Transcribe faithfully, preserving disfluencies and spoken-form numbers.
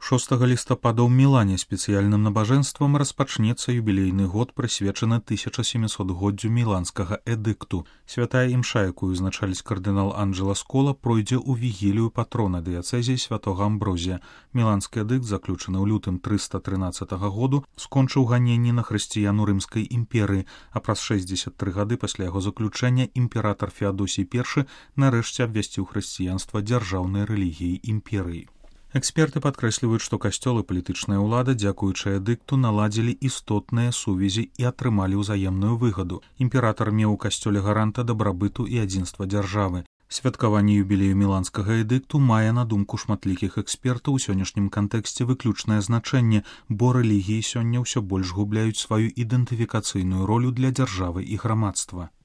шостага лістапада ў Мілане спецыяльным набажэнствам распачнецца юбілейны год, прысвечаны тысяча сямісотгоддзю міланскага эдыкту. Святая імша, якую узначаліць кардынал Анджела Скола, пройдзе ў вігілію патрона дыяцэзіі святога Амброзія. Міланскі эдыкт, заключаны ў лютым трыста трынаццатага году, скончыў ганенні на хрысціян у рымскай імперыі, а праз шэсцьдзесят тры гады пасля яго заключэння імператар Феадосій першы нарэшце абвясціў хрысціянства дзяржаўнай рэлігіяй імперыі. Эксперты падкрэсліваюць, што касцёл і палітычная ўлада, дзякуючы эдыкту, наладзілі істотныя сувязі і атрымалі ўзаемную выгаду. Імператар меў у касцёле гаранта дабрабыту і адзінства дзяржавы. Святкаванне юбілею міланскага эдыкту мае, на думку шматлікіх экспертаў, у сённяшнім кантэксце выключнае значэнне, бо рэлігіі сёння ўсё больш губляюць сваю ідэнтыфікацыйную ролю для дзяржавы і грамадства.